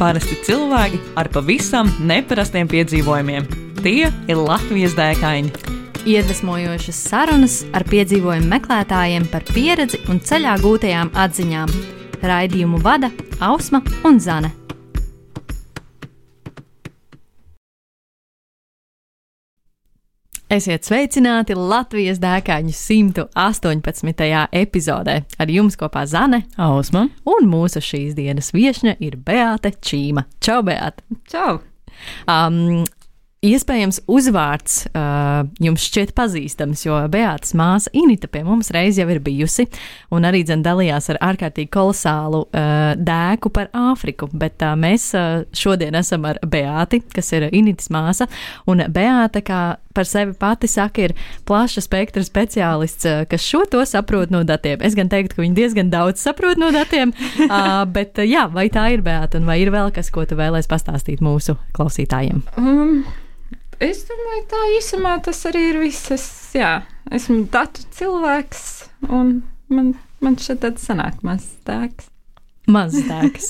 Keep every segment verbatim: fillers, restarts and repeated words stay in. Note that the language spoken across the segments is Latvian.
Parasti cilvēki ar pavisam neparastiem piedzīvojumiem. Tie ir Latvijas dēkaini. Iedvesmojošas sarunas ar piedzīvojumu meklētājiem par pieredzi un ceļā gūtajām atziņām. Raidījumu vada Ausma un Zane. Esiet sveicināti Latvijas dēkaņu simt astoņpadsmitajā epizodē. Ar jums kopā Zane, Ausma un mūsu šīs dienas viešņa ir Beāte Čīma. Čau, Beāte! Čau! Um, Iespējams, uzvārds uh, jums šķiet pazīstams, jo Beātes māsa Inita pie mums reiz jau ir bijusi un arī dzen dalījās ar ārkārtīgi kolosālu uh, dēku par Āfriku, bet uh, mēs uh, šodien esam ar Beāti, kas ir Initas māsa, un Beāte, kā par sevi pati saka, ir plaša spektra speciālists, uh, kas šo to saprot no datiem. Es gan teiktu, ka viņi diezgan daudz saprot no datiem, uh, bet uh, jā, vai tā ir, Beāte, un vai ir vēl kas, ko tu vēlēs pastāstīt mūsu klausītājiem? Um. Es domāju, tā īsumā tas arī ir viss. Es, jā, esmu datu cilvēks, un man, man šeit tāds sanāk mazs dēks. Mazs dēks.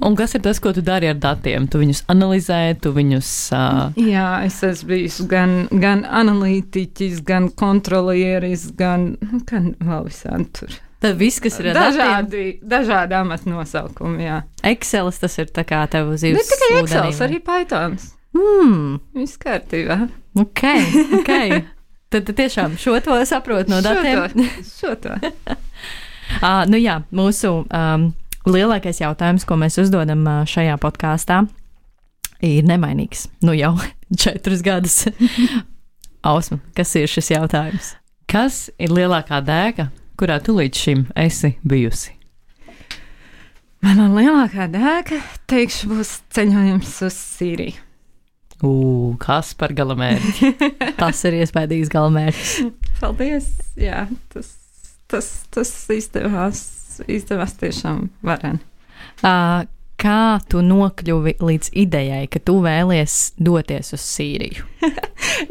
Un kas ir tas, ko tu dari ar datiem? Tu viņus analizē, tu viņus... Uh... Jā, es esmu bijis gan, gan analītiķis, gan kontrolieris, gan, gan vēl visādi tur. Tad viss, kas ir ar dažādi, datiem? Dažādi amatu nosaukumi, jā. Excelis tas ir tā kā tev uz zīves. Ne tikai Excels, arī Pythons. Hmm. Viss kārtībā. Ok, ok. Tad tiešām šo to saprot no datiem. Šo to. Šo to. uh, nu jā, mūsu um, lielākais jautājums, ko mēs uzdodam uh, šajā podkāstā, ir nemainīgs. Nu jau četrus gadus. Ausma, kas ir šis jautājums? Kas ir lielākā dēka, kurā tu līdz šim esi bijusi? Mana lielākā dēka, teikšu, būs ceļojums uz Sīriju. Ū, kas par galamērķi? Tas ir iespējams galamērķis. Paldies, jā, tas, tas, tas izdevās, izdevās tiešām vareni. Uh, kā tu nokļuvi līdz idejai, ka tu vēlies doties uz Sīriju?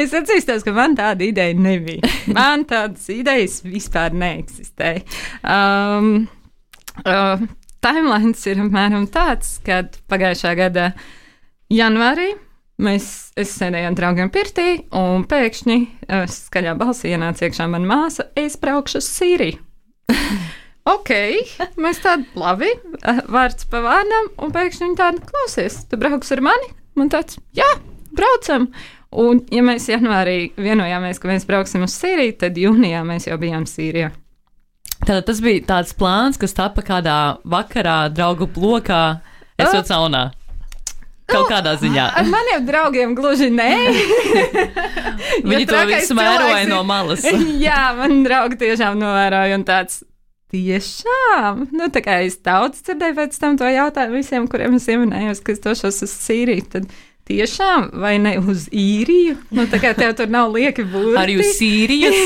Es atzīstos, ka man tāda ideja nebija. Man tādas idejas vispār neeksistēja. Um, uh, timelines ir apmēram tāds, kad pagājušā gada janvārī Mēs, es sēdēju ar draugiem pirtī, un pēkšņi uh, skaļā balsī ienāca iekšā mana māsa, es braukšu uz Sīriju. Ok, mēs tādi labi, uh, vārds pa vārdam, un pēkšņi viņi tādi, klausies, tu brauks ar mani? Man tāds, jā, braucam. Un ja mēs janvārī vienojāmies, ka mēs brauksim uz Sīriju, tad jūnijā mēs jau bijām Sīrijā. Tātad tas bija tāds plāns, kas tapa kādā vakarā draugu blokā, esot uh. saunā. Kaut kādā ziņā. Ar maniem draugiem gluži nē. Viņi to visu mēroja no malas. Jā, man draugi tiešām novēroja un tāds tiešām. Nu, tā kā es daudz dzirdēju pēc tam to jautājumu visiem, kuriem es ieminējos, ka es došos uz Sīriju, tad tiešām vai ne uz īriju? Nu, tā kā tev tur nav lieki burti. Arī uz Sīrijas.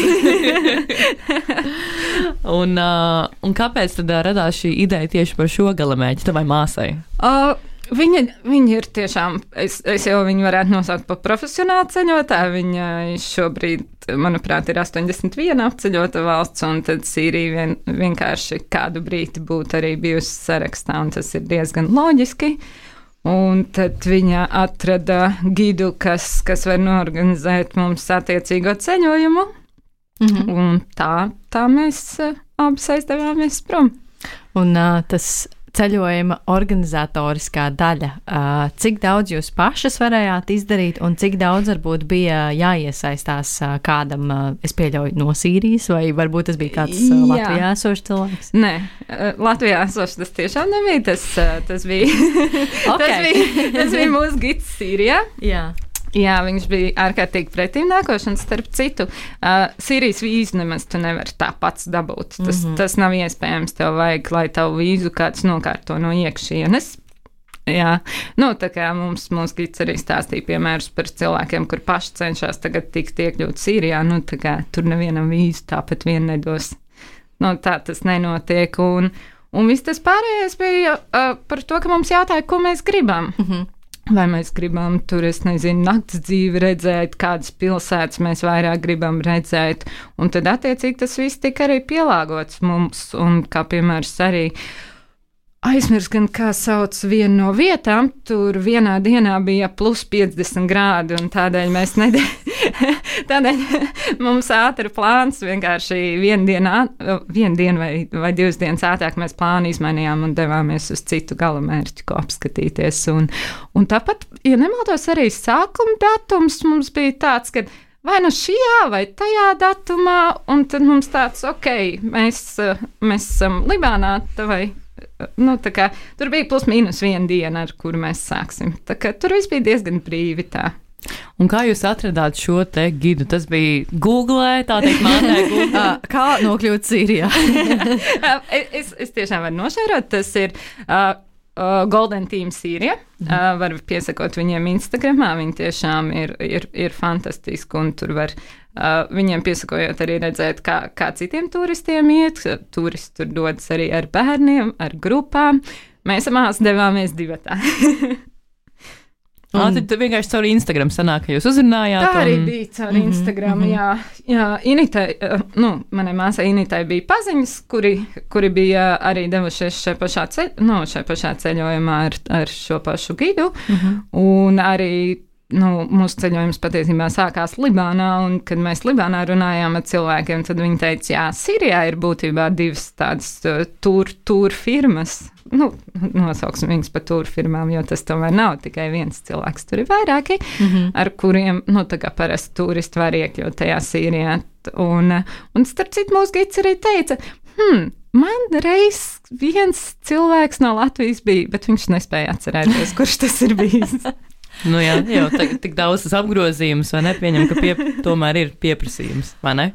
un, uh, un kāpēc tad radās šī ideja tieši par šo galamērķi tavai māsai? Uh, Viņa, viņa ir tiešām, es, es jau viņu varētu nosaukt par profesionālu ceļotāju. Viņa šobrīd, manuprāt, ir astoņdesmit viena apceļota valsts, un tad Sīrija vien, vienkārši kādu brīdi būtu arī bijusi sarakstā, un tas ir diezgan loģiski. Un tad viņa atrada gidu, kas, kas var norganizēt mums attiecīgo ceļojumu, mm-hmm. un tā, tā mēs uh, abas aizdevāmies prom. Un uh, tas ceļojuma organizatoriskā daļa. Uh, cik daudz jūs pašas varējāt izdarīt un cik daudz varbūt bija jāiesaistās uh, kādam, uh, es pieļauju, no Sīrijas, vai varbūt tas bija kāds uh, Latvijā esošs cilvēks? Nē, uh, Latvijā esošs tas tiešām nebija. Tas, uh, tas, bija, okay. tas, bija, tas bija mūsu gids Sīrijā. Jā. Jā, viņš bija ārkārtīgi pretimnākošs, un starp citu, uh, Sīrijas vīzu nemaz tu nevari tā pats dabūt. Tas, mm-hmm. tas nav iespējams, tev vajag, lai tavu vīzu kāds nokārto no iekšienes. Jā, nu tā kā mums, mums gids arī stāstīja piemērus par cilvēkiem, kur paši cenšas tagad tikt iekļūt Sīrijā, nu tā kā tur nevienam vīzu tāpat vien nedos. Nu tā tas nenotiek, un, un viss tas pārējais bija uh, par to, ka mums jautāja, ko mēs gribam. Mm-hmm. Vai mēs gribam tur, es nezinu, nakts dzīvi redzēt, kādas pilsētas mēs vairāk gribam redzēt, un tad attiecīgi tas viss tika arī pielāgots mums, un kā piemērs arī aizmirst, gan kā sauc vienu no vietām, tur vienā dienā bija plus piecdesmit grādi, un tādēļ mēs nedēļ, tādēļ mums ātri plāns vienkārši vienu dienu, vienu dienu vai, vai divas dienas ātrāk mēs plānu izmainījām un devāmies uz citu galamērķi, ko apskatīties. Un, un tāpat, ja nemaldos, arī sākuma datums mums bija tāds, ka vai nu šajā vai tajā datumā, un tad mums tāds, ok, mēs, mēs esam Libānā, vai Nu, kā, tur bija plus mīnus viena diena, ar kuru mēs sāksim. Tā kā, tur viss bija diezgan brīvi tā. Un kā jūs atradāt šo te gidu? Tas bija Google, tā teikt, mātē Google. Kā nokļūt Sīrijā? es, es tiešām varu nošērot. Tas ir uh, uh, Golden Team Sīrija. Uh, var piesakot viņiem Instagramā. Viņi tiešām ir, ir, ir fantastiski un tur var Uh, viņiem piesakojot arī redzēt, kā, kā citiem turistiem iet. Turisti tur dodas arī ar bērniem, ar grupām. Mēs amās devāmies divatā. Un... Tad vienkārši caur Instagram sanāk, ka jūs uzrunājāt. Tā arī un... bija caur Instagram, mm-hmm. jā. jā Initai, nu, manai māsai Initai bija paziņas, kuri, kuri bija arī devušies šai pašā, ceļ, nu, šai pašā ceļojumā ar, ar šo pašu gidu. Mm-hmm. Un arī Nu, mūsu ceļojums patiesībā sākās Libānā, un kad mēs Libānā runājām ar cilvēkiem, tad viņi teica, jā, Sīrijā ir būtībā divas tādas uh, tur, tur firmas. Nu, nosauksim viņas par tur firmām, jo tas tomēr nav tikai viens cilvēks, tur ir vairāki, mm-hmm. ar kuriem, nu, tā kā parasti turisti var iekļūt tajā Sīrijā. Un, un starp citu, mūsu gids arī teica, hmm, man reiz viens cilvēks no Latvijas bija, bet viņš nespēja atcerēties, kurš tas ir bijis. Nu jā, jau tā, tik daudz tas apgrozījums, vai ne? Pieņem, ka pie, tomēr ir pieprasījums, vai ne?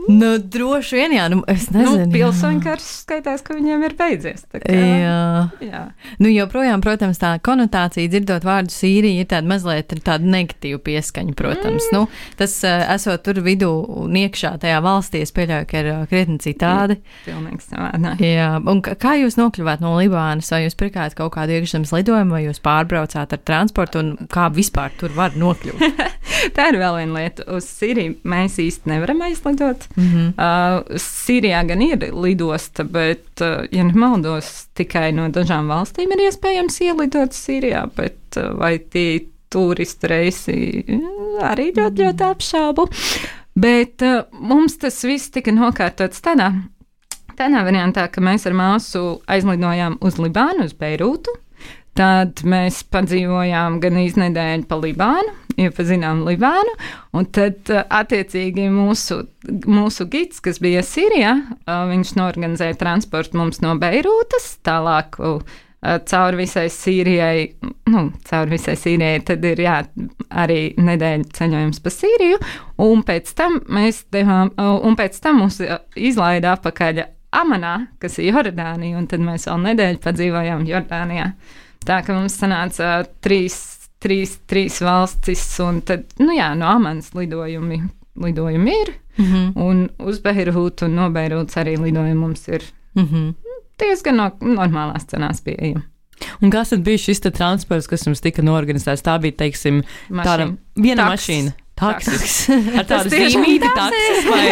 Nu, droši vien, jā, nu, es nezinu. Nu, pilsoņu karš skaitās, ka viņiem ir beidzies. Tā kā, jā. jā. Nu, joprojām, protams, tā konotācija, dzirdot vārdu Sīrija, ir tāda mazliet tāda negatīva pieskaņa, protams. Mm. Nu, tas, esot tur vidū un iekšā tajā valstī, es pieļauju, ka ir krietni citādi. Pilnīgi savādāk. Jā, un kā jūs nokļuvāt no Libānas? Vai jūs pirkāt kaut kādu iekšzemes lidojumu, vai jūs pārbraucāt ar transportu, un kā vispār tur var nokļūt? Tā ir vēl viena lieta. Uz Sīriju mēs īsti nevaram aizlidot. Mm-hmm. Uh, Sīrijā gan ir lidosta, bet, uh, ja nemaldos, tikai no dažām valstīm ir iespējams ielidot Sīrijā, bet uh, vai tie turistu reisi arī ļoti, ļoti apšaubu. Bet uh, mums tas viss tika nokārtots tādā, tādā variantā, ka mēs ar māsu aizlidojām uz Libānu, uz Beirūtu. Tad mēs padzīvojām gan iznedēļu pa Libānu, iepazinām Libānu, un tad attiecīgi mūsu, mūsu gids, kas bija Sīrijā, viņš norganizēja transportu mums no Beirūtas, tālāk cauri visai Sīrijai, nu, cauri visai Sīrijai, tad ir, jā, arī nedēļu ceļojums pa Sīriju, un pēc tam mēs devām, un pēc tam mūs izlaida apakaļ Amanā, kas ir Jordānija, un tad mēs vēl nedēļu padzīvojām Jordānijā. Tā ka mums sanāca trīs, trīs, trīs valstis, un tad, nu jā, no Amanas lidojumi, lidojumi ir, mm-hmm. un uz Beirūtu un no Beirūtas arī lidojumi mums ir mm-hmm. diezgan no, normālās cenās pieejami. Un kas tad bija šis transports, kas jums tika norganizēts? Tā bija, teiksim, mašīna. Tāda viena Taks. mašīna. Taksis. Ar tādu zīmīti taksis vai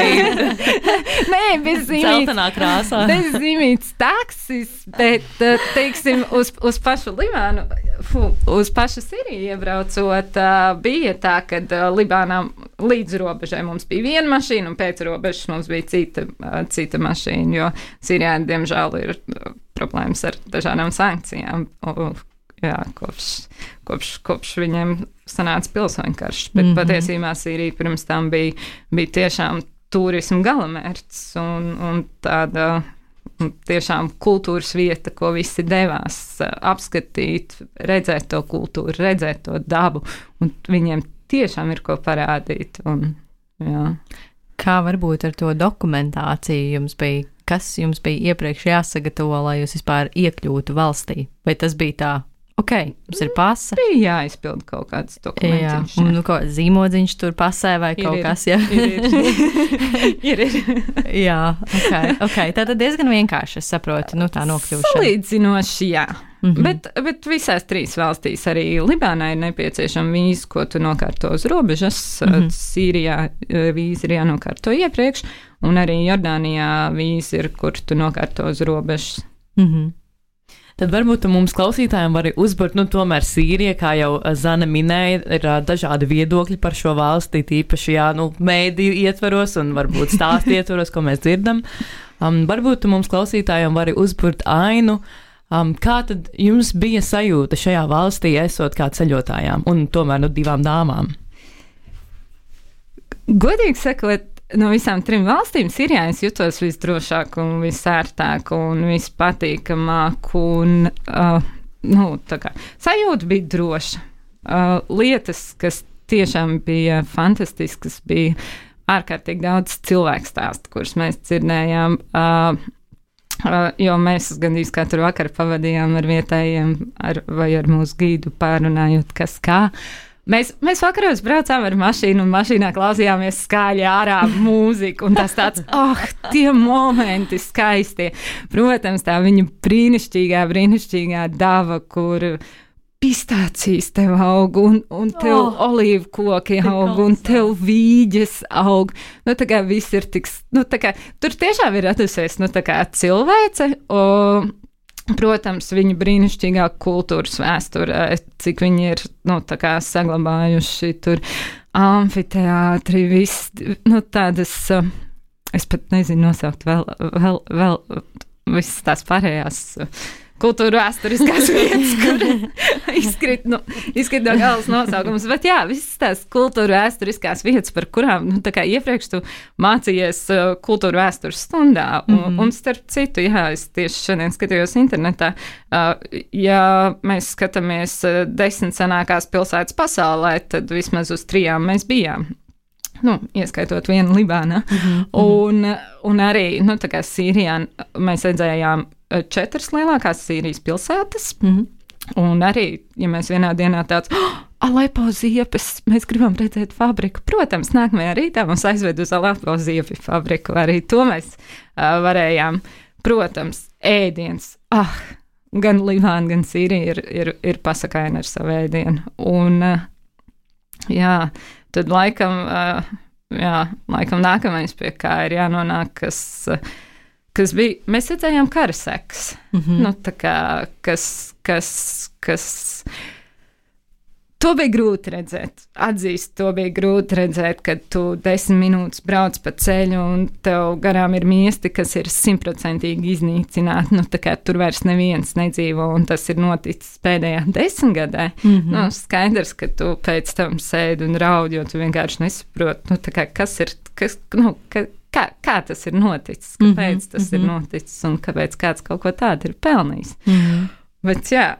Nē, bez zīmītes. Celtenā krāsā. Bez zīmītes taksis, bet, teiksim, uz, uz pašu Libānu, fu, uz pašu Sīriju iebraucot, bija tā, ka Libānā līdz robežai mums bija viena mašīna un pēc robežas mums bija cita, cita mašīna, jo Sīrijā, diemžēl, ir problēmas ar dažādām sankcijām. Jā, kopš, kopš, kopš viņiem sanāca pilsoņu karš, bet mm-hmm. patiesībā Sīrija pirms tam bija, bija tiešām turismu galamērķis un, un tāda tiešām kultūras vieta, ko visi devās apskatīt, redzēt to kultūru, redzēt to dabu, un viņiem tiešām ir ko parādīt. Un, jā. Kā varbūt ar to dokumentāciju jums bija? Kas jums bija iepriekš jāsagatavo, lai jūs vispār iekļūtu valstī? Vai tas bija tā? Ok, mums ir pasa. Bija jāizpild kaut kāds dokumentiņš. Jā, un nu, kaut zīmodziņš tur pasē vai ir, kaut ir, kas, jā. Ir, ir. ir, ir. Jā, ok, ok. Tātad diezgan vienkārši, es saprotu, nu tā nokļūšana. Salīdzinoši, jā. Mm-hmm. Bet, bet visās trīs valstīs arī Libānā ir nepieciešama vīza, ko tu nokārto uz robežas. Mm-hmm. Sīrijā vīza ir jānokārto iepriekš, un arī Jordānijā vīza ir, kur tu nokārto uz robežas. Mhm. Tad varbūt tu mums klausītājiem vari uzburt, nu tomēr Sīrija, kā jau Zana minēja, ir uh, dažādi viedokļi par šo valsti, tīpaši, jā, nu, mēdīju ietvaros un varbūt stāstu ietvaros, ko mēs dzirdam. Um, varbūt tu mums klausītājiem vari uzburt ainu, um, kā tad jums bija sajūta šajā valstī, esot kā ceļotājām un tomēr, nu, divām dāmām? Godīgi sakot, no visām trim valstīm Sīrijā es jutos visdrošāk un visērtāk un vispatīkamāk un, uh, nu, tā kā, sajūta bija droša. Uh, lietas, kas tiešām bija fantastiskas, bija ārkārtīgi daudz cilvēku stāstu, kurus mēs dzirdējām, uh, uh, jo mēs gandrīz katru vakaru pavadījām ar vietējiem ar, vai ar mūsu gīdu pārunājot, kas kā. Mēs, mēs vakaros braucām ar mašīnu, un mašīnā klausījāmies skaļi ārā mūziku, un tas tāds, ah, oh, tie momenti skaisti. Protams, tā viņa brīnišķīgā, brīnišķīgā dava, kur pistācijas tev aug, un, un tev oh, olīvu koki aug, un tev vīģes aug. Nu, tā kā viss ir tik, nu, tā kā, tur tiešām ir radusies, nu, tā kā cilvēce, un protams, viņa brīnišķīgā kultūras vēsture, cik viņi ir, nu, tā kā saglabājuši tur amfiteātri, viss, nu, tādas, es pat nezinu nosaukt vēl, vēl, vēl visas tās pārējās kultūra vēsturiskās vietas, kur izkrīt, nu, izkrīt no galvas nosaukums, bet jā, visas tās kultūra vēsturiskās vietas, par kurām, nu, tā kā iepriekš tu mācījies uh, kultūra vēstures stundā, un, mm-hmm. un starp citu, jā, es tieši šodien skatījos internetā, uh, ja mēs skatāmies uh, desmit senākās pilsētas pasaulē, tad vismaz uz trijām mēs bijām. Nu, ieskaitot vienu Libānā. Mm-hmm. Un, un arī, nu, tā kā Sīrijā mēs redzējām četras lielākās Sīrijas pilsētas. Mm-hmm. Un arī, ja mēs vienā dienā tāds, oh, Alepo ziepes, mēs gribam redzēt fabriku. Protams, nākamajā rītā mums aizved uz Alepo ziepju fabriku. Arī to mēs uh, varējām. Protams, ēdiens. Ah, gan Libāna, gan Sīrija ir, ir, ir pasakaina ar savu ēdienu. Un, uh, jā, tad laikam, uh, jā, laikam nākamais, pie kā ir jānonāk, kas, uh, kas bija, mēs redzējām kara sekas, mm-hmm. nu, tā kā, kas, kas, kas, to bija grūti redzēt, atzīst, to bija grūti redzēt, kad tu desmit minūtes brauc pa ceļu un tev garām ir miesti, kas ir simtprocentīgi iznīcināti, nu, tā kā tur vairs neviens nedzīvo, un tas ir noticis pēdējā desmitgadē, mm-hmm. nu, skaidrs, ka tu pēc tam sēdi un raudi, jo tu vienkārši nesaproti, nu, tā kā, kas ir, kas, nu, ka, kā, kā tas ir noticis, kāpēc mm-hmm. tas mm-hmm. ir noticis, un kāpēc kāds kaut ko tādu ir pelnījis. Mm-hmm. Bet, jā,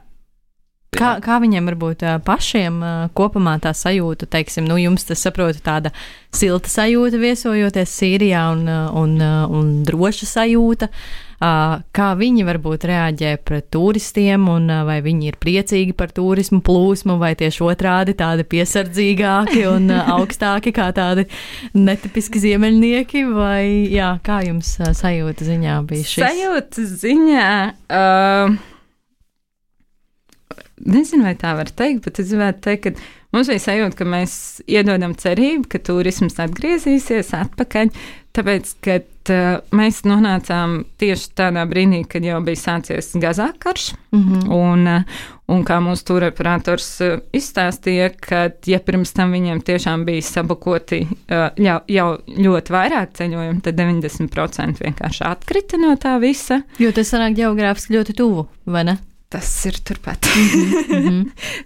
Kā, kā viņiem varbūt pašiem kopumā tā sajūta, teiksim, nu jums tas saprotu tāda silta sajūta viesojoties Sīrijā un, un, un droša sajūta, kā viņi varbūt reaģē pret turistiem un vai viņi ir priecīgi par turismu plūsmu vai tieši otrādi tādi piesardzīgāki un augstāki kā tādi netipiski ziemeļnieki vai jā, kā jums sajūta ziņā bija šis? Sajūta ziņā... Uh... Nezinu, vai tā var teikt, bet es gribētu teikt, ka mums bija sajūta, ka mēs iedodam cerību, ka turisms atgriezīsies atpakaļ, tāpēc, ka uh, mēs nonācām tieši tādā brīdī, kad jau bija sācies Gazā karš, mm-hmm. un, uh, un kā mūsu turoperators uh, izstāstīja, ka, ja pirms tam viņiem tiešām bija sabukoti uh, jau, jau ļoti vairāk ceļojumu, tad deviņdesmit procenti vienkārši atkrita no tā visa. Jo tas sanāk ģeogrāfiski ļoti tuvu, vai ne? Tas ir turpat. Mm-hmm.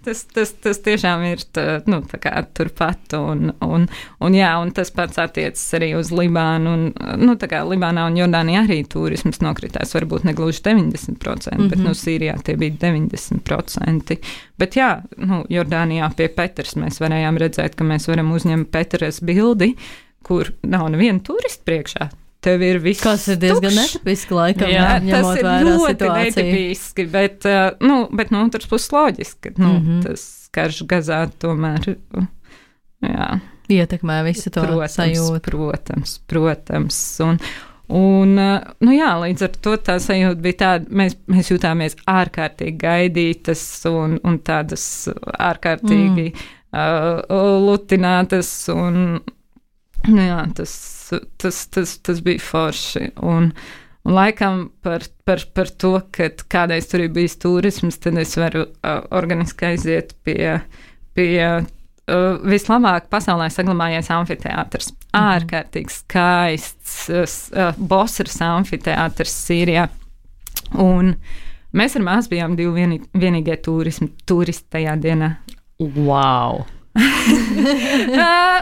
tas, tas, tas tiešām ir tā, nu, tā kā turpat. Un, un, un, jā, un tas pats attiecas arī uz Libānu. Un, nu, tā kā Libānā un Jordānijā arī turisms nokritās. Varbūt ne gluži deviņdesmit procenti, mm-hmm. bet nu, Sīrijā tie bija deviņdesmit procenti. Bet jā, nu, Jordānijā pie Petras mēs varējām redzēt, ka mēs varam uzņemt Petras bildi, kur nav neviena turista priekšā. Tev ir viss kas ir diezgan netipiski laikam, jā, ņemot tas ir vērā ļoti situāciju. netipiski, bet, uh, nu, bet no otras puses loģiski, ka, nu, mm-hmm. tas karš Gazā tomēr, jā. Ietekmē visu to protams, sajūtu. Protams, protams, un, un, uh, nu jā, līdz ar to tā sajūta bija tāda, mēs, mēs jutāmies ārkārtīgi gaidītas un, un tādas ārkārtīgi mm. uh, lutinātas un, nu jā, tas Tas, tas, tas bija forši. Un, Un laikam par, par, par to, ka kādreiz tur ir bijis turisms, tad es varu uh, organiski aiziet pie, pie uh, vislabāk pasaulē saglabājies amfiteātrs. Mm. Ārkārtīgi skaists uh, Bosras amfiteātrs Sīrijā. Un mēs ar māsu bijām divi vieni, vienīgie turismi, turisti tajā dienā. Wow! uh,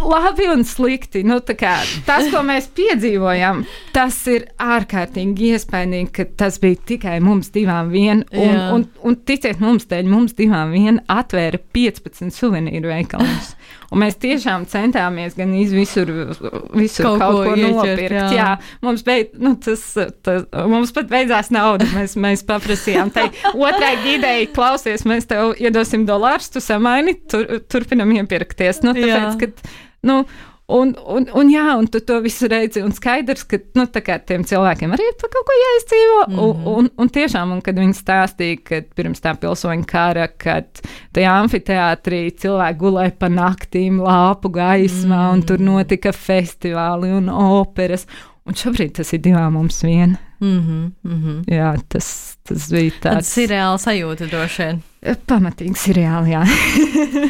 labi un slikti. Nu, kā, tas, ko mēs piedzīvojām, tas ir ārkārtīgi iespaidīgi, ka tas bija tikai mums divām vien. Un, un, un, un ticiet mums, dēļ mums divām vien atvēra piecpadsmit suvenīru veikaliņus. Un mēs tiešām centāmies gan visur, visur kaut, kaut ko, ko nopirkt. Jā. Jā, mums, beid, nu, tas, tas, mums pat beidzās nauda. Mēs, mēs paprasījām tai otrai gidei, klausies, mēs tev iedosim dolārus, tu samaini, tur, turpinam iepirkties. Nu, tāpēc, kad, nu, un, un, un jā, un tu to visu redzi, un skaidrs, ka, nu, tā kā tiem cilvēkiem arī ir pa kaut ko jāizdzīvo, mm-hmm. un, un, un tiešām, un kad viņi stāstīja, ka pirms tā pilsoņu kara, kad tajā amfiteātrī cilvēki gulēja pa naktīm lāpu gaismā, mm-hmm. un tur notika festivāli un operas, un šobrīd tas ir divām mums vien. Mm-hmm, mm-hmm. Jā, tas, tas bija tāds... Tas ir reāli sajūta droši vien. Pamatīgs ir reāli, jā.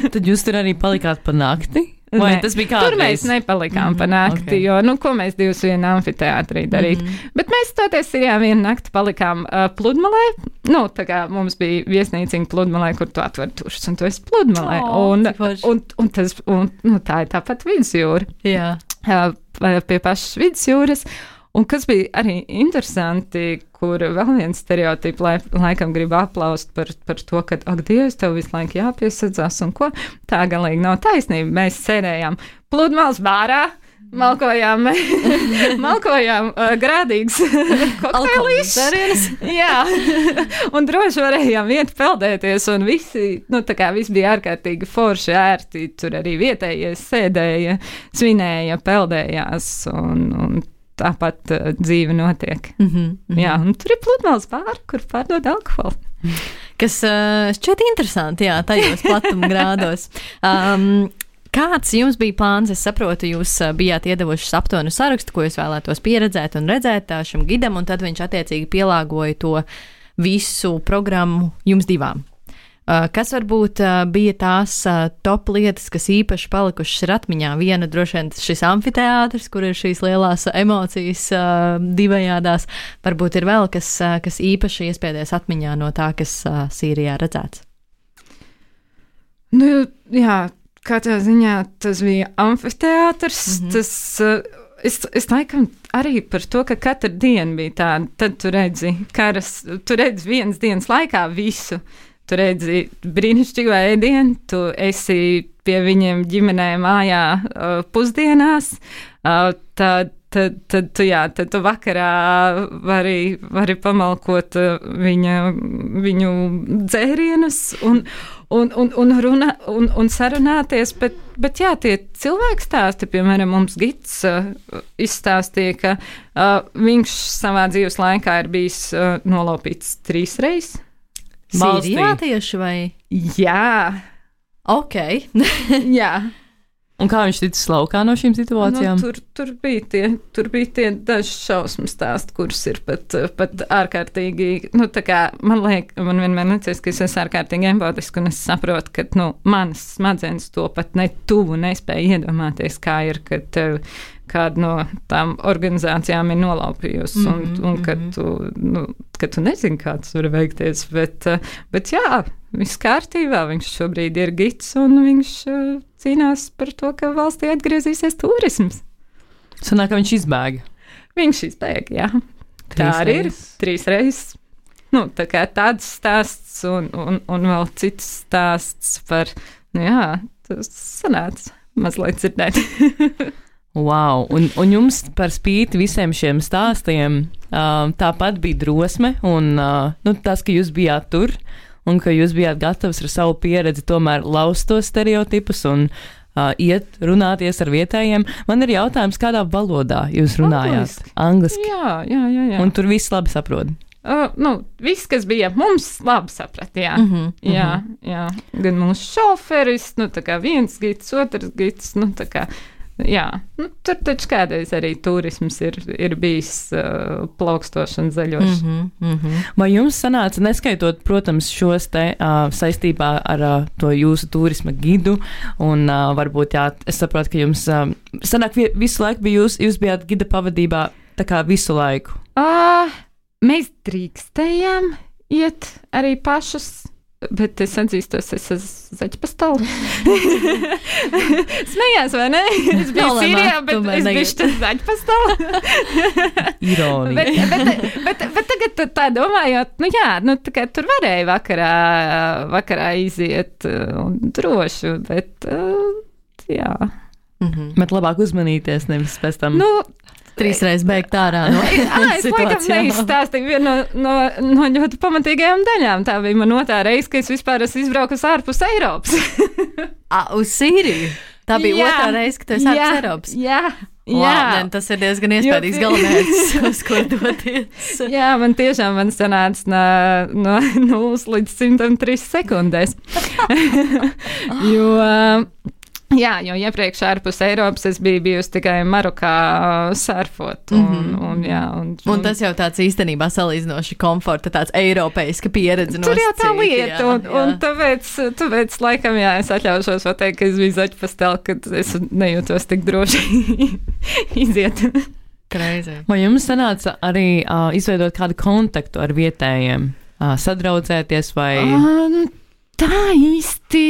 Tad jūs tur arī palikāt pa nakti? Vai tas bija kādreiz? Tur mēs nepalikām mm-hmm, pa nakti, okay. jo, nu, ko mēs divas vienā amfiteātrī darīt. Mm-hmm. Bet mēs toties ir, jā, vienu nakti palikām uh, Pludmalē. Nu, tā kā mums bija viesnīciņa Pludmalē, kur tu atver tušas, un tu esi Pludmalē. Oh, un, un, un, tas, un nu, tā ir tāpat vidusjūra. Jā. Uh, pie pašas vidusjūras. Un kas bija arī interesanti, kur vēl viens stereotips lai, laikam grib aplaust par, par to, ka, ak, Dievs, tev visu laiku jāpiesadzās un ko. Tā galīgi nav taisnība. Mēs sēdējām Pludmales bārā, malkojām, malkojām uh, grādīgs kokteilīšs. Jā, un droši varējām iet peldēties, un visi, nu, tā kā viss bija ārkārtīgi forši, ērti. Tur arī vietējie sēdēja, svinēja, peldējās, un, un tāpat uh, dzīve notiek. Mm-hmm, mm-hmm. Jā, un tur ir Pludmales bāra, kur pārdod alkoholu. Kas uh, šķiet interesanti, jā, tajos platuma grādos. Um, kāds jums bija plāns? Es saprotu, jūs uh, bijāt iedevuši aptuvenu sarakstu, ko jūs vēlētos pieredzēt un redzēt uh, šim gidam, un tad viņš attiecīgi pielāgoja to visu programmu jums divām. Uh, kas varbūt uh, bija tās uh, top lietas, kas īpaši palikušas ir atmiņā? Viena droši vien šis amfiteātris, kur ir šīs lielās emocijas uh, divējādās. Varbūt ir vēl kas, uh, kas īpaši iespēdies atmiņā no tā, kas uh, Sīrijā redzēts. Nu, jā, katrā ziņā tas bija amfiteātris. Mm-hmm. Tas, uh, es, es laikam arī par to, ka katra diena bija tāda. Tad tu redzi, karas, tu redzi vienas dienas laikā visu. Tu redzi brīnišķīgu ēdienu, tu esi pie viņiem ģimenē mājā uh, pusdienās, uh, tad, tad, tad, tu, jā, tad tu vakarā vari, vari pamalkot uh, viņa, viņu dzērienus un, un, un, un, runa, un, un sarunāties, bet, bet jā, tie cilvēki stāsti, piemēram, mums gids uh, izstāstīja, ka uh, viņš savā dzīves laikā ir bijis uh, nolaupīts trīs reizes. Sīrijā tieši vai? Jā. Ok. Jā. Un kā viņš ticis laukā no šīm situācijām? Nu, tur, tur bija tie, tur bija tie daži šausmu stāsti, kurus ir pat, pat ārkārtīgi, nu, tā kā, man liek, man vienmēr liekas, ka es esmu ārkārtīgi empātiski, un es saprotu, ka, nu, manas smadzenes to pat ne tuvu nespēja iedomāties, kā ir, kad tev kāda no tām organizācijām ir nolaupījusi, un, mm-hmm. un kad, tu, nu, kad tu nezini, kā tas var veikties, bet, bet jā, viss kārtībā, viņš šobrīd ir gids, un viņš uh, cīnās par to, ka valstī atgriezīsies turisms. Sanāk, ka viņš izbēga. Viņš izbēga, jā. Trīs tā arī reizes. ir, trīs reizes. Nu, tā kā tāds stāsts, un, un, un vēl cits stāsts par, nu jā, tas sanāca mazliet dzirdēt. Wow, un, un jums par spīti visiem šiem stāstiem uh, tāpat bija drosme un uh, nu, tas, ka jūs bijāt tur un ka jūs bijāt gatavs ar savu pieredzi tomēr laust tos stereotipus un uh, iet runāties ar vietējiem. Man ir jautājums, kādā valodā jūs runājāt? Angliski. Angliski. Jā, jā, jā, jā. Un tur viss labi saprot. Uh, nu, viss, kas bija mums, labi saprat, jā. Mm-hmm, jā, mm-hmm. jā. Gan mūsu šoferis, nu, tā kā viens gids, otrs gids, nu, tā kā Jā, nu, tur taču kādreiz arī turisms ir, ir bijis uh, plaukstošs un zaļošs. Mm-hmm, mm-hmm. Vai jums sanāca, neskaitot, protams, šos te uh, saistībā ar uh, to jūsu turisma gidu, un uh, varbūt, jā, es saprotu, ka jums uh, sanāk visu laiku bija jūs, jūs bijāt gida pavadībā tā kā visu laiku? Uh, mēs drīkstējām iet arī pašas. Bet es atzīstos, es esmu zaķpastala. Smējās, vai ne? Es biju Nolēmā, Sīrijā, bet tomēr es biju negribu. šķiet zaķpastala. Ironija. bet, bet, bet, bet tagad tu tā domājot, nu jā, nu tā kā tur varēja vakarā, vakarā iziet un droši, bet uh, jā. Mm-hmm. Bet labāk uzmanīties, nevis pēc tam. Nu, Trīsreiz beigt ārā no Ā, es laikam neizstāstīju vienu no, no, no ļoti pamatīgajām daļām. Tā bija man otrā reize, ka es vispār esmu izbraukusi ārpus Eiropas. A, uz Sīriju? Tā bija Jā. otrā reize, ka tu esi ārpus Jā, Eiropas? Jā, Wow, jā. ne, tas ir diezgan iespējams Jo- galamērķis, uz ko doties. Jā, man tiešām man sanāca no, no nulles līdz simtam trīs sekundēs. jo, jā, jo iepriekš ārpus Eiropas es biju bijusi tikai Marokā surfot. Un, Mhm. un, jā, un, Un tas jau tāds īstenībā salīdzinoši komforta, tāds eiropeiska pieredze. Tur jau tā nosacīta, lieta, jā, un, jā. un tāpēc, tāpēc, laikam, jā, es atļaušos pateikt, ka es biju zaķpastela, kad es nejūtos tik droši iziet. Crazy. Vai jums sanāca arī uh, izveidot kādu kontaktu ar vietējiem, uh, sadraudzēties vai... Um, tā īsti.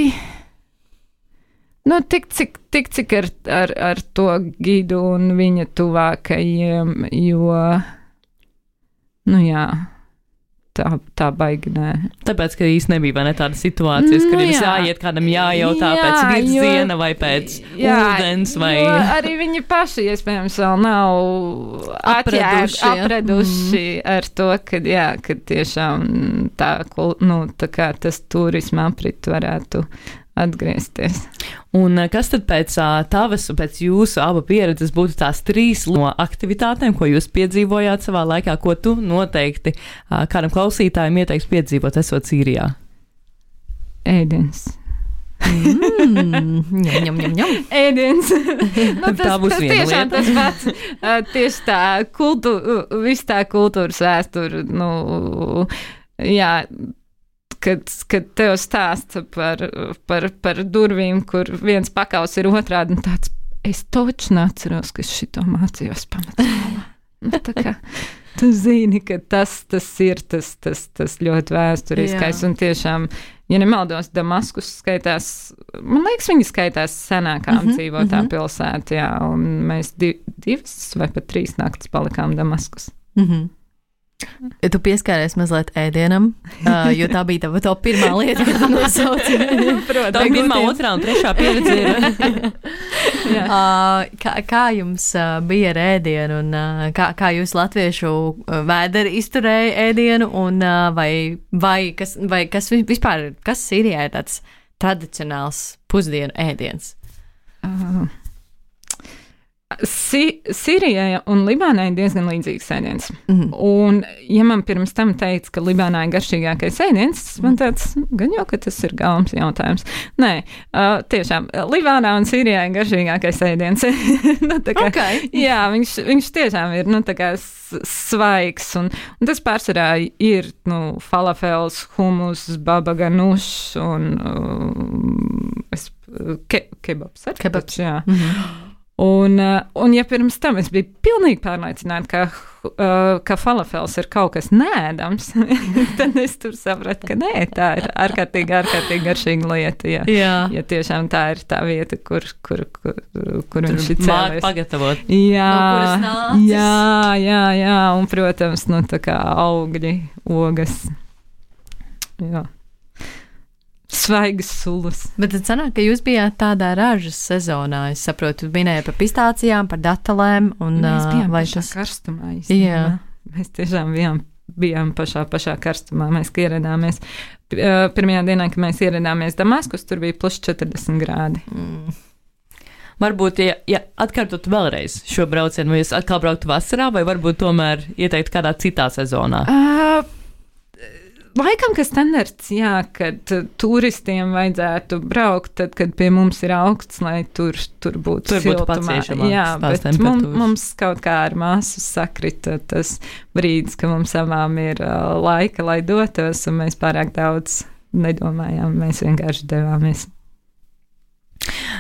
Nu, tik cik, tik, cik ar, ar, ar to gidu un viņa tuvākajiem, jo, nu jā, tā, tā baigi nē. Tāpēc, ka īsti nebija vai ne tāda situācijas, Nu, kur jums jā. jāiet kādam jājautā Jā, pēc virziena jo- vai pēc Jā, ūdens vai... jo arī viņi paši, iespējams, vēl nav Apraduši, apraduši, ja. apraduši ar to, ka, jā, ka tiešām tā, kul- nu, tā kā tas turisma aprit varētu atgriezties. Un eh, kas tad pēc uh, tavas un pēc jūsu abu pieredzes būtu tās trīs no aktivitātēm, ko jūs piedzīvojāt savā laikā, ko tu noteikti uh, kādam klausītājam ieteiksi piedzīvot, esot Sīrijā? Ēdiens. Mm, ņem, ņem, ņem, ņem. Ēdiens. nu, tas, Tā būs tas viena tiešām lieta. tas pats. Uh, tieši tā, kultu, viss tā kultūras vēsture, nu, jā, kad, kad tev stāsta par, par, par durvīm, kur viens pakaus ir otrādi, un tāds, es toču neatceros, ka es šito mācījos pamatskolā. Nu, tā kā tu zini, ka tas, tas ir tas, tas, tas ļoti vēsturiskais, Jā. un tiešām, ja nemaldos, Damaskus skaitās, man liekas, viņi skaitās senākā Mhm, apdzīvotā mhm. pilsētā, jā, un mēs di, divas vai pat trīs naktas palikām Damaskus. Mhm. Tu pieskāries mazliet ēdienam, uh, jo tā bija tava top pirmā lieta, kad tu nosauci. Tā ir pirmā, otrā un trešā pieredze. Ir. Uh, kā, kā jums uh, bija ar ēdienu, un uh, kā, kā jūs latviešu uh, vēderi izturēja ēdienu, un uh, vai, vai, kas, vai kas vi- vispār, kas Sīrijā ir tāds tradicionāls pusdienu ēdiens? Uh, Si Sīrijai un Libānai ir diezgan līdzīgs ēdiens. Mhm. Un, ja man pirms tam teica, ka Libānā ir garšīgākais ēdiens, man tāds, gan jau, ka tas ir galvas jautājums. Nē, uh, tiešām, Libānā un Sīrijā ir garšīgākais ēdiens. nu, tā kā, Okay. Jā, viņš, viņš tiešām ir, nu, tā kā s- svaigs, un, un tas pārsvarā ir, nu, falafels, humus, baba ganušs un uh, es, ke, kebabs. ar Kebabs. taču, Jā. Mhm. Un, uh, un ja pirms tam es biju pilnīgi pārliecināta, ka, uh, ka falafels ir kaut kas nēdams, tad es tur sapratu, ka nē, tā ir ārkārtīgi, ārkārtīgi garšīga lieta. Ja, Jā. ja tiešām tā ir tā vieta, kur, kur, kur, kur viņš ir Māk cēlies. pagatavot. Jā, No kuras nācis? jā, jā, jā, un, protams, nu, tā kā augļi, ogas. Jā. Svaigas sulas. Bet tad sanāk, ka jūs bijāt tādā ražas sezonā. Es saprotu, minēja par pistācijām, par datelēm. Un, Mēs bijām vai pašā tas... karstumā. Jā. Īstenībā. Mēs tiešām bijām, bijām pašā, pašā karstumā. Mēs ka ieradāmies. P- ā, Pirmajā dienā, kad mēs ieradāmies Damaskus, tur bija plus četrdesmit grādi. Mm. Varbūt, ja, ja atkārtot vēlreiz šo braucienu, vai jūs atkal brauktu vasarā, vai varbūt tomēr ieteikt kādā citā sezonā? Uh, laikam, ka standarts, jā, kad uh, turistiem vajadzētu braukt, tad, kad pie mums ir augsts, lai tur, tur būtu tur siltumā. Būtu jā, bet mums, mums kaut kā ar māsu sakrita tas brīdis, ka mums abām ir uh, laika, lai dotos, un mēs pārāk daudz nedomājām, mēs vienkārši devāmies.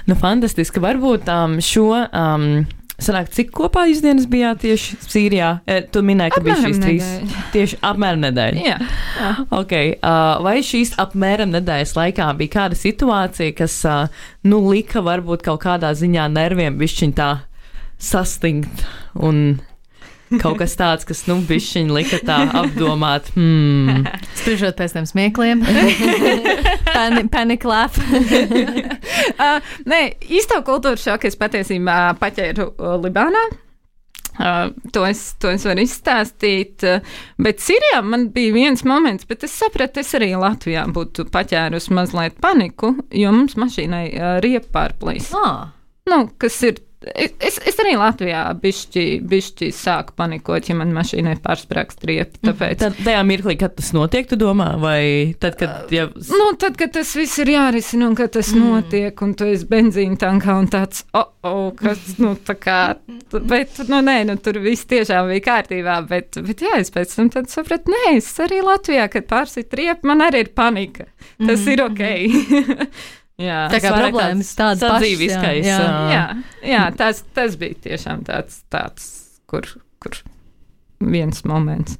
Nu, fantastiski. Varbūt um, šo... Um, Sanāk, cik kopā jūs dienas bijāt tieši Sīrijā? E, tu minēji, ka apmēram bija šīs trīs. Nedēļa. Tieši apmēram nedēļa. Jā. jā. Okay. Uh, vai šīs apmēram nedēļas laikā bija kāda situācija, kas, uh, nu, lika varbūt kaut kādā ziņā nerviem bišķiņ tā sastingt un kaut kas tāds, kas, nu, bišķiņ lika tā apdomāt. Hmm. Spriežot pēc tiem smiekliem. Pani, panic laugh. uh, nē, īsto kultūru šoku es patiesībā paķēru uh, Libānā. Uh, to, es, to es varu izstāstīt, uh, bet Sīrijā man bija viens moments, bet es sapratu, es arī Latvijā būtu paķērus mazliet paniku, jo mums mašīnai uh, riepa pārplīs. Ah. Nu, kas ir Es, es arī Latvijā bišķi, bišķi sāku panikot, ja man mašīnai pārsprāgst riepa. Tāpēc... Tad, tajā mirklī, kad tas notiek, tu domā? Vai tad, kad... Ja... Nu, tad, kad tas viss ir jārisina un kad tas mm. notiek, un tu esi benzīna tankā un tāds, oh, oh, kas, nu, tā kā... Bet, nu, nē, nu, tur viss tiešām bija kārtībā, bet, bet jā, es pēc tam tad sapratu, nē, es arī Latvijā, kad pārsit riepa, man arī ir panika. Tas mm. ir ok. Jā, tā kā problēmas tādas sadzīviskais. Jā, jā. jā, jā tas, tas bija tiešām tāds, tāds kur, kur viens moments.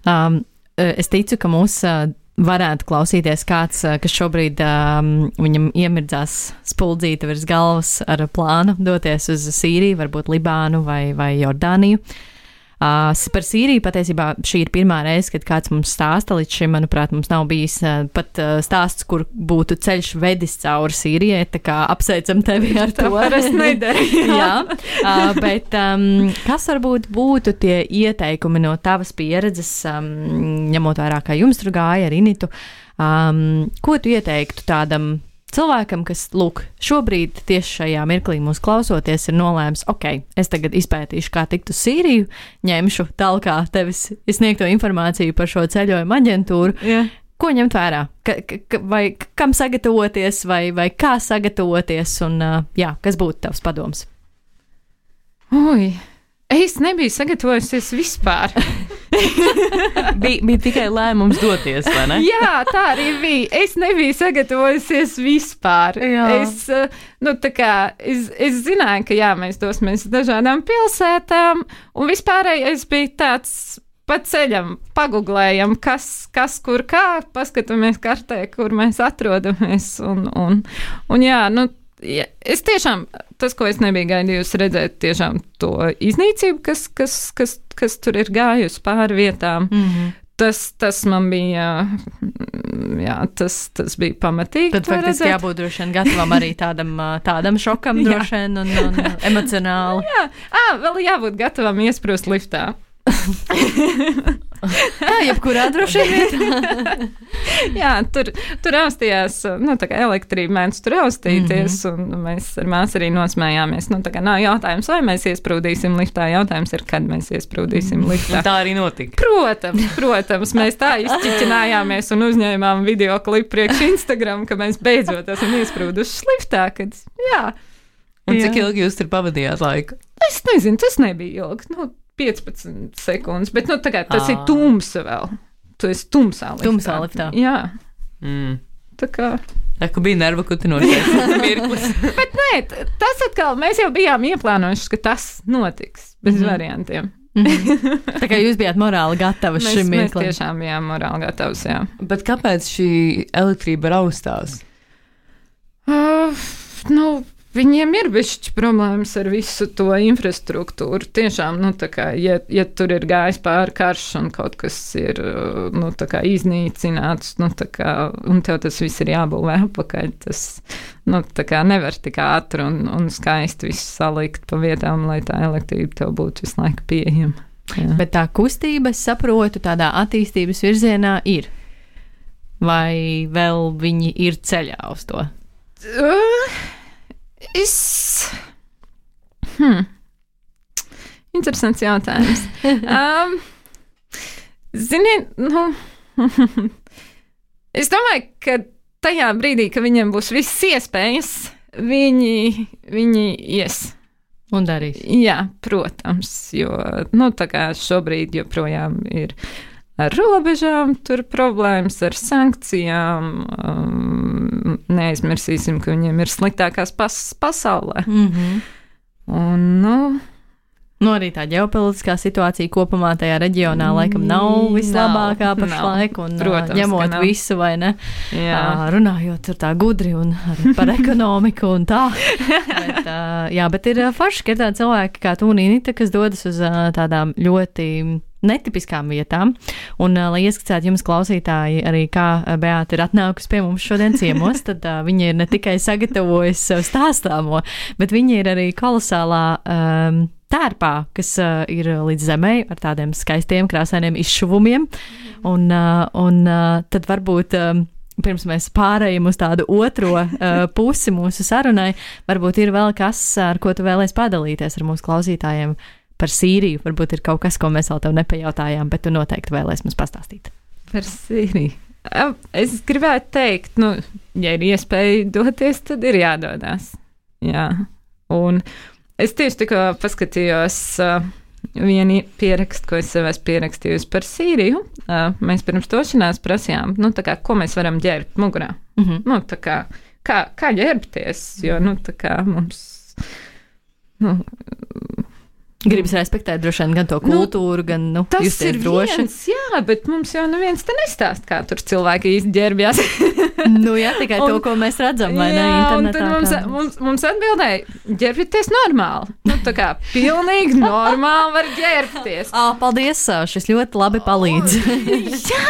Um, es ticu, ka mūs uh, varētu klausīties kāds, uh, kas šobrīd um, viņam iemirdzās spuldzīta virs galvas ar plānu doties uz Sīriju, varbūt Libānu vai, vai Jordāniju. Uh, par Sīriju patiesībā šī ir pirmā reize, kad kāds mums stāsta. Līdz šim, manuprāt, mums nav bijis uh, pat uh, stāsts, kur būtu ceļš vedis cauri Sīrijai, tā kā apsveicam tevi ar to. Es nedarīju. Jā, uh, bet um, kas varbūt būtu tie ieteikumi no tavas pieredzes, um, ņemot vērā, kā jums tur gāja ar Initu, um, ko tu ieteiktu tādam cilvēkam, kas, lūk, šobrīd tieši šajā mirklī mūs klausoties, ir nolēms, ok, es tagad izpētīšu, kā tikt uz Sīriju, ņemšu talkā tevis sniegto informāciju par šo ceļojumu aģentūru. Yeah. Ko ņemt vērā? Ka, ka, vai kam sagatavoties, vai, vai kā sagatavoties, un jā, kas būtu tavs padoms? Ui, es nebiju sagatavojusies vispār. bija, bija tikai lēmums doties, vai ne? Jā, tā arī bija. Es nebiju sagatavojusies vispār. Jā. Es, nu, tā kā, es, es zināju, ka jā, mēs dosimies dažādām pilsētām, un vispārējais bija tāds pa ceļam, paguglējam, kas, kas kur kā, paskatāmies kartē, kur mēs atrodamies, un, un, un jā, nu, ja, es tiešām, tas, ko es nebiju gaidījusi redzēt, tiešām to iznīcību, kas, kas, kas, kas tur ir gājusi pāri vietām, mm-hmm. tas, tas man bija, jā, tas, tas bija pamatīgi. Tad faktiski redzēt. Jābūt droši vien gatavam arī tādam, tādam šokam droši vien un, un emocionāli. Jā, à, vēl jābūt gatavam iesprūst liftā. Jā, jebkurā droši vietā. Jā, tur, tur austījās, nu, tā kā elektrība mēdz tur austīties, mm-hmm. un mēs ar māsu arī nosmējāmies. Nu, tā kā nav jautājums, vai mēs iesprūdīsim liftā, jautājums ir, kad mēs iesprūdīsim liftā. Tā arī notika. Protams, protams, mēs tā izķiķinājāmies un uzņēmām video klipu priekš Instagram, ka mēs beidzot esam iesprūduši liftā, kad, jā. Un jā. Cik ilgi jūs tur pavadījāt laiku? Es nezinu, tas nebija ilgi, nu, piecpadsmit sekundes, bet, nu, tagad tas à. ir tumsa vēl. Tu esi tumsā liftā. Tumsā liftā. Jā. Mm. Tā kā... Tā kā bija nerva kutinošais mirklis. Bet nē, tas atkal, mēs jau bijām ieplānojuši, ka tas notiks, bez mm-hmm. variantiem. Mm-hmm. Tā kā jūs bijāt morāli gatavi mēs, šim mirklim. Mēs tiešām bijām morāli gatavs, jā. Bet kāpēc šī elektrība raustās? Uh, nu... Viņiem ir bišķi problēmas ar visu to infrastruktūru. Tiešām, nu, tā kā, ja, ja tur ir gājis pāri karš un kaut kas ir, nu, tā kā iznīcināts, nu, tā kā, un tev tas viss ir jābūvē apakaļ, tas, nu, tā kā nevar tik ātri un, un skaisti visu salikt pa vietām, lai tā elektrība tev būtu visu laiku pieejama. Jā. Bet tā kustība, es saprotu, tādā attīstības virzienā ir. Vai vēl viņi ir ceļā uz to? Uh. Es. Hmm. Interesants jautājums. um, ziniet, nu, Es domāju, ka tajā brīdī, kad viņiem būs visas iespējas, viņi, viņi ies. Un darīs. Jā, protams, jo nu, tā kā šobrīd joprojām ir ar robežām, tur problēmas ar sankcijām. Um, neaizmirsīsim, ka viņiem ir sliktākās pas pasaulē. Mm-hmm. Un, nu, Nu, arī tā ģeopolitiskā situācija kopumā tajā reģionā laikam nav vislabākā pašlaik, un protams, ņemot visu, vai ne? Jā. Uh, runājot tur tā gudri un par ekonomiku un tā. bet, uh, jā, bet ir forši, ka ir tādi cilvēki kā tu un Inita, kas dodas uz uh, tādām ļoti netipiskām vietām. Un, uh, lai ieskicētu jums klausītāji arī, kā Beāta ir atnākusi pie mums šodien ciemos, tad uh, viņa ir ne tikai sagatavojusi sev stāstāmo, bet viņa ir arī kolosālā um, tērpā, kas uh, ir līdz zemei ar tādiem skaistiem, krāsainiem izšuvumiem. Un, uh, un uh, tad varbūt um, pirms mēs pārējam uz tādu otro uh, pusi mūsu sarunai, varbūt ir vēl kas, ar ko tu vēlies padalīties ar mūsu klausītājiem par Sīriju. Varbūt ir kaut kas, ko mēs vēl tev nepajautājām, bet tu noteikti vēlies mums pastāstīt. Par Sīriju. Es gribētu teikt, nu, ja ir iespēja doties, tad ir jādodās. Jā. Un es tieši tikko paskatījos uh, vienu pierakstu, ko es sev esmu pierakstījusi par Sīriju. Uh, mēs pirms došanās prasījām, nu, tā kā, ko mēs varam ģērbt mugurā. Mm-hmm. Nu, tā kā, kā, kā ģērbties, jo, nu, tā kā mums, nu, gribas respektēt droši vien gan to kultūru, nu, gan, nu, justies droši. Tas ir viens, jā, bet mums jau neviens te nestāst, kā tur cilvēki īsti ģērbjās. Nu jā, tikai un, to, ko mēs redzam, vai jā, ne, internetā. Un tad mums, mums, mums atbildēja, ģērbieties normāli. Nu, tā kā pilnīgi normāli var ģērbties. Ā, paldies, šis ļoti labi palīdz. Jā,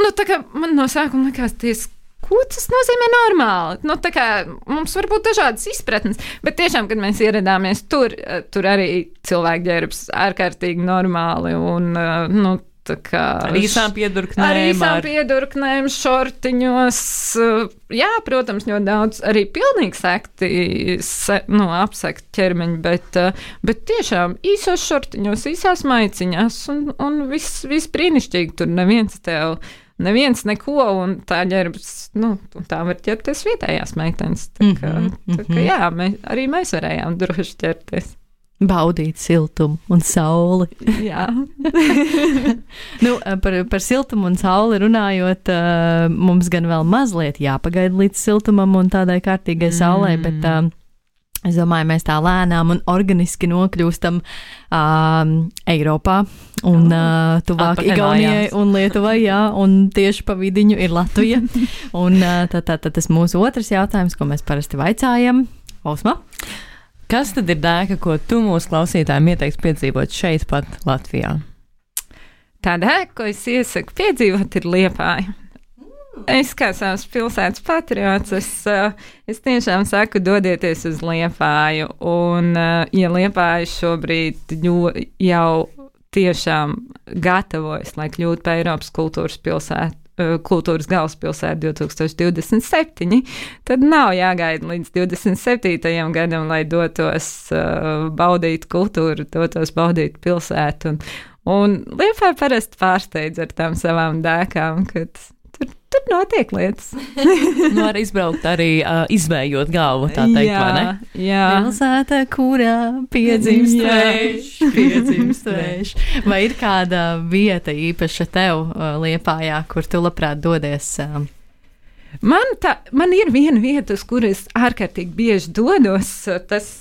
nu tā kā man no sākuma likās ties, ko tas nozīmē normāli? Nu, tā kā mums var būt dažādas izpratnes, bet tiešām, kad mēs ieradāmies tur, tur arī cilvēki ģērbs ārkārtīgi normāli un, nu, tā kā... Ar īsām piedurknēm. Ar īsām piedurknēm, šortiņos. Jā, protams, ļoti daudz arī pilnīgi sekti, se, nu, apsekti ķermeņi, bet, bet tiešām īsos šortiņos, īsās maiciņās un, un viss, viss brīnišķīgi. Tur neviens tev... Neviens neko, un tā ģērbs, nu, tā var ķerties vietējās meitenes. Tā kā, mm-hmm. tā kā jā, mēs, arī mēs varējām droši ķerties. Baudīt siltumu un sauli. Jā. nu, par, par siltumu un sauli runājot, uh, mums gan vēl mazliet jāpagaida līdz siltumam un tādai kārtīgai saulē, mm. bet uh, es domāju, mēs tā lēnām un organiski nokļūstam uh, Eiropā un uh, tuvāk Igaunijai un Lietuvai, jā, un tieši pa vidiņu ir Latvija. un uh, tad, tad, tad tas mūsu otrs jautājums, ko mēs parasti vaicājam. Osma? Kas tad ir dēka, ko tu mūsu klausītājiem ieteiksi piedzīvot šeit pat Latvijā? Tā dēka, ko es iesaku piedzīvot, ir Liepāja. Es kā savs pilsētas patriots, es, es tiešām saku, dodieties uz Liepāju, un ja Liepāja šobrīd jau tiešām gatavojas, lai kļūtu par Eiropas kultūras pilsētu, kultūras galvaspilsētu divi tūkstoši divdesmit septiņi, tad nav jāgaida līdz divdesmit septītajam gadam, lai dotos uh, baudīt kultūru, dotos baudīt pilsētu. Un, un Liepāja parasti pārsteidz ar tām savām dēkām, kad tur, tur notiek lietas. Nu, var izbraukt arī uh, izvējot galvu, tā teikt, jā, vai ne? Jā. Pilsēta, kurā piedzimst vējš, piedzimst vējš. Vai ir kāda vieta īpaša tev uh, Liepājā, kur tu labprāt dodies? Uh, man, tā, man ir viena vieta, uz kur es ārkārtīgi bieži dodos, tas,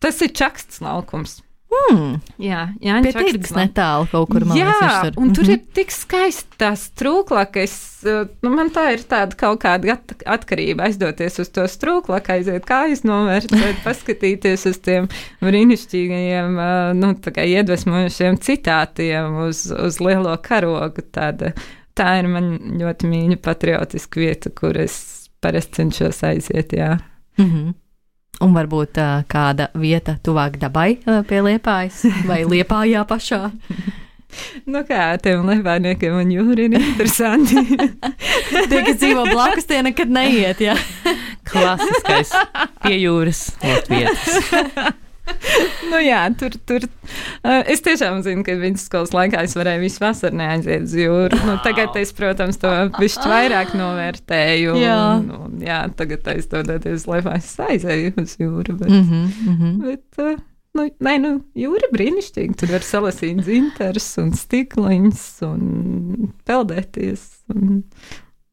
tas ir Čaksts laukums. Hmm. Jā, jā, pie tirgus netālu kaut kur, man liekas, jā, tur. Un tur mm-hmm. ir tik skaisti tās strūklakas, nu, man tā ir tāda kaut kāda at- atkarība aizdoties uz to strūklaku, aiziet kājas novērtēt, paskatīties uz tiem brīnišķīgajiem, nu, tā kā iedvesmojušiem citātiem uz, uz lielo karogu. Tāda, tā ir man ļoti mīļa patriotiska vieta, kur es parasti cenšos aiziet, jā. Mhm. Un varbūt uh, kāda vieta tuvāk dabai uh, pie Liepājas vai Liepājā pašā? Nu kā, tiem liepājniekiem un jūri ir interesanti. Tie, kas dzīvo blakus, tie nekad neiet, jā. Klasiskais pie jūras Latvijas. Nu jā, tur, tur. Uh, es tiešām zinu, ka vidusskolas laikā es varēju visu vasaru neaiziet uz jūru. Nu, tagad es, protams, to bišķi vairāk novērtēju. Jā. Un, un, jā, tagad aizdodoties laivā es aizēju uz jūru. Bet, Mm -hmm, mm -hmm. bet uh, nu, nē, nu, jūra brīnišķīgi. Tur var salasīt zintarus un stikliņus un peldēties un,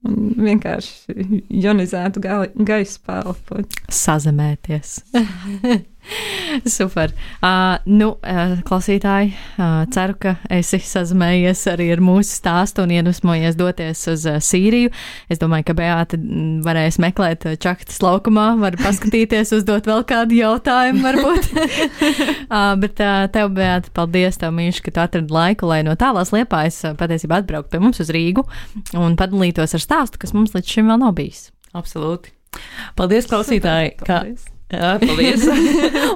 un vienkārši ionizētu ga gaisu pēlpot. Sazemēties. Super. Uh, nu, uh, klausītāji, uh, ceru, ka esi sazinājies arī ar mūsu stāstu un iedvesmojies doties uz uh, Sīriju. Es domāju, ka Beāta varēs meklēt uh, čaktas laukumā, var paskatīties, uzdot vēl kādu jautājumu, varbūt. uh, bet uh, tev, Beāta, paldies tev, mīļš, ka tu atradi laiku, lai no tālās Liepājas uh, patiesībā atbrauktu pie mums uz Rīgu un padalītos ar stāstu, kas mums līdz šim vēl nav bijis. Absolūti. Paldies, klausītāji! Super, Ka... paldies. Jā, paldies.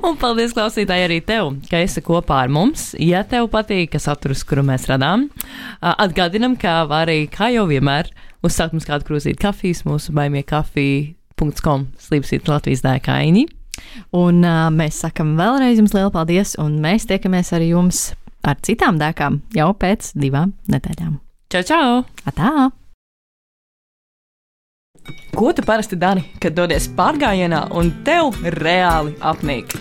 Un paldies, klausītāji, arī tev, ka esi kopā ar mums. Ja tev patīk, ka saturs, kuru mēs radām, atgādinam, ka var arī, kā jau vienmēr, uzsākt mums kādu krūzīti kafijas mūsu baimiekafija punkts com slīpsīt Latvijas dēkaiņi. Un uh, mēs sakam vēlreiz jums lielu paldies, un mēs tiekamies ar jums ar citām dēkām jau pēc divām nedēļām. Čau, čau! Atā! Ko tu parasti dari, kad dodies pārgājienā un tev reāli apnīk?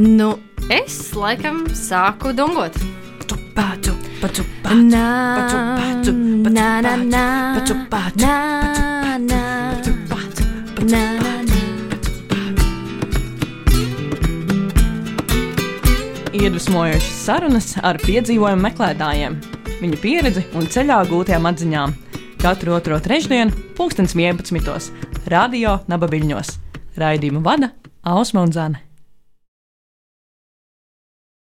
Nu, es laikam sāku dungot. Paču, paču, Nā, paču, paču, paču, nā, nā, nā, paču, paču, nā, nā, paču, nā, nā, nā. Iedvesmojošas sarunas ar piedzīvojumu meklētājiem, viņu pieredzi un ceļā gūtajām atziņām. Katru otro trešdienu, pulkstens vienpadsmitos, radio Nabaviļņos. Raidījumu vada Ausma un Zane.